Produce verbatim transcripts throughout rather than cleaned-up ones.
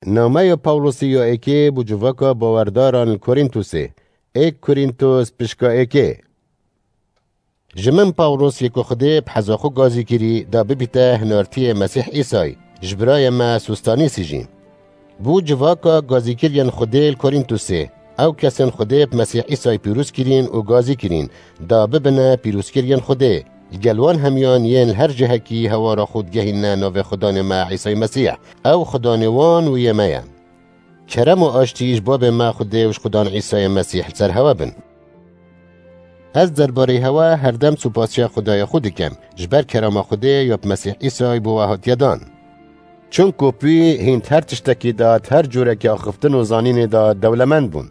Nameya Pawlosî ya êkê bo civaka bawerdaran li Korîntosê. Êk Korîntos pişka êkê. Ji min Pawlos yê ku Xwedê bi heza xwe gazî kirî, da bibîte hinartiyê Mesîh Îsay, ji birayê me Sostanîsî jî. Bo civaka gazîkiriyên Xwedê li Korîntosê, ew kesên Xwedê bi Mesîh Îsay pîroz kirîn û gazî kirîn, da bibine pîrozkiriyên Xwedê, li gel wan hemiyan yên li her cihekî hewara xwe digehînine navê Xudanê me Îsay Mesîh, ew Xudanê wan û yê me ye. Kerem û aştî ji babê me Xwedê û ji Xudan Îsayê Mesîh li ser hewe bin. Ez derbarê hewe herdem supasiya Xwedayê xwe dikim, ji ber kerema Xwedê ya bi Mesîh Îsay bo we hatiye dan. Çunku pî hîn di her tiştekî de, di her cûrekî axiftin û zanînê de dewlemend bûn.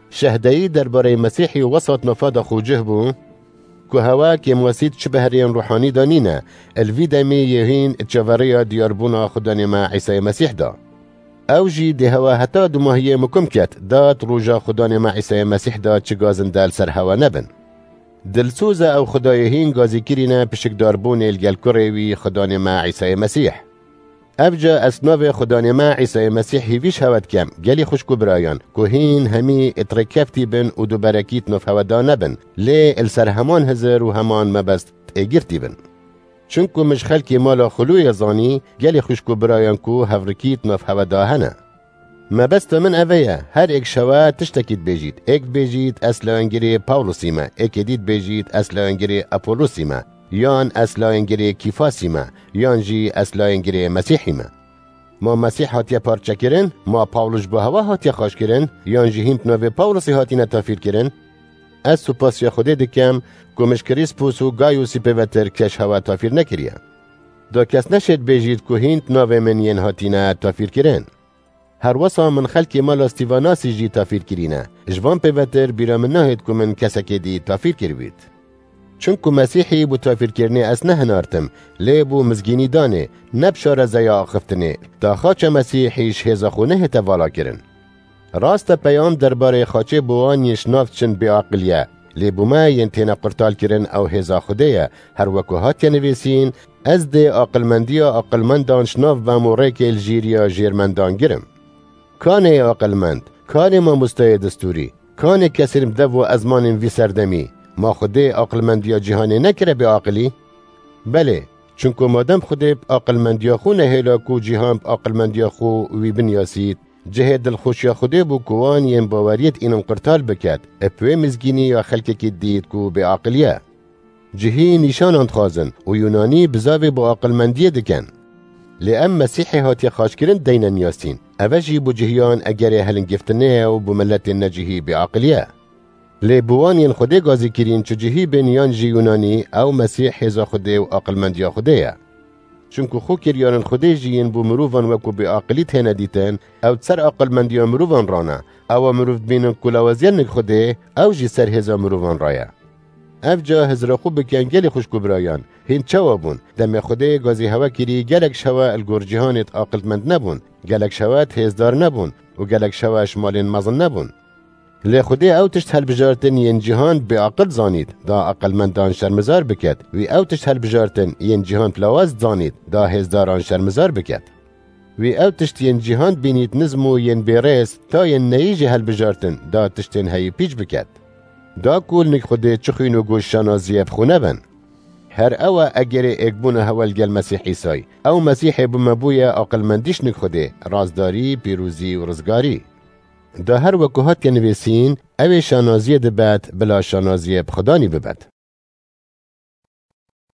Şehdeyî derbarê Mesîhî wesat nafa de xwe cih bû, ku hewe kêmwesî di çi behriyên ruhanî de nîne, li vî demî yê hîn di çaverêya diyarbûna Xudanê me Îsayê Mesîh de. Ew jî dê hewe heta dumahiyê mukim ket, da di roja Xudanê me Îsayê Mesîh de çi gazinde li ser hewe nebin. Dilsoz e ew Xwedayê hîn gazî kirîne pişikdarbûnê li gel kurê wî Xudanê me Îsayê Mesîh. Evca ez navê Xudanê me Îsayê Mesîh hîvî ji hewe dikem, gelî xwişk û birayan, ku hîn hemî di rêkeftî bin û duberekî di nav hewe de nebin, lê li ser heman hizir û heman mebest êgirtî bin. Çunku min ji xelkê mala Xulûyê zanî, gelî xwişk û birayan ku hevrikî di nav hewe de hene. Mebesta min ev e ye, her êk ji hewe tiştekî dibêjît, êk dibêjît ez lawengirê Pawlosî me, êkê dî dibêjît ez lawengirê Apolosî me, yan ez lawengirê Kîfasî me, yan jî ez lawengirê Mesîhî me. Ma Mesîh hatiye parçekirin? Ma Pawlos ji bo hewa hatiye xaçkirin? Yan jî hîn bi navê Pawlosî hatine tafîrkirin? Ez supasiya Xwedê dikim ku min ji Krîspûs û Gayûsî pêvetir kes hewa tafîr nekiriye. Da kes neşêt bêjît ku hîn di navê min yên hatine tafîrkirin. Her wesa min xelkê mala Stîvanasî jî tafîr kirîne. Ji van pêvetir bîra min nahêt ku min kesekê dî tafîr kiribît. Çunku Mesîhî bo tafîrkirinê ez nehinartim, lê bo mizgînî danê, ne bi şarezeya axiftinê, da xaça Mesîhî ji hêza xwe nehête valakirin. Rast e, peyam derbarê xaçê bo wan yên ji nav diçin bêaqil ye, lê bo me yên têne qurtalkirin ew hêza Xwedê ye, her wek ku hatiye nivîsîn, ez dê aqilmendiya aqilmendan ji nav bem û rêkê li jêriya jêrmendan girim. Kanê aqilmend, kanê mamosteyê destûrî, kanê kesên bi dev û ezmanên vî serdemî, ma Xwedê aqilmendiya cîhanê nekire bêaqilî? Belê, çunku madem Xwedê bi aqilmendiya xwe nehêla ku cîhan bi aqilmendiya xwe wî binyasît, cihê dilxweşiya Xwedê bû ku wan yên baweriyê dînin qurtal biket, ê bi wê mizgînî ya xelkekî dît ku bêaqil ye. Cihî nîşanan dixwazin û Yûnanî bizavê bi aqilmendiyê dikin. Lê em Mesîhê hatiye xaçkirin deyne niyasîn. Eve jî bo cihiyan egerê helingiftinê ye û bo miletên necihî bêaqilî ye. Lê bo wan yên Xwedê gazî kirîn, çi cihî bin yan jî Yûnanî, ew Mesîh hêza Xwedê û aqilmendiya Xwedê ye. Çunku xwe kiriyarên Xwedê jî yên bo mirovan wekû bêaqilî têne dîtin, ew di ser aqilmendiya mirovan rane. Ewa mirov dibînin ku lawaziyên nik Xwedê, ew jî ser hêza mirovan raye. Ev ca hizra xwe bikin gelî xwişk û birayan, hîn çawa bûn? Demê Xwedê gazî hewe kirî, gelek ji hewe li gor cîhanê di aqilmend nebûn, gelek ji hewe di hêzdar nebûn û gelek ji hewe ji malên mezin nebûn. Lê Xwedê ew tişt helbijartin yên cîhan bêaqil zanît, da aqilmendan şermizar biket, wî ew tişt helbijartin yên cîhan bi lawaz zanît, da hêzdaran şermizar biket. Wî ew tişt yên cîhan bînît nizm û yên bêrêz, ta yên neyî jî helbijartin, da tiştên heyî pîç biket. Da ku li nik Xwedê çi xwîn û goş şanaziyê bi xwe nebin. Her ew e egerê êkbûna hewe li gel Mesîh Îsay. Ew Mesîhê bi me bûye aqilmendî ji nik Xwedê, rastdarî, pîrozî û rizgarî. Da her wekû hatiye nivîsîn, ew ê şanaziyê dibet, bila şanaziyê bi Xudanî bibet.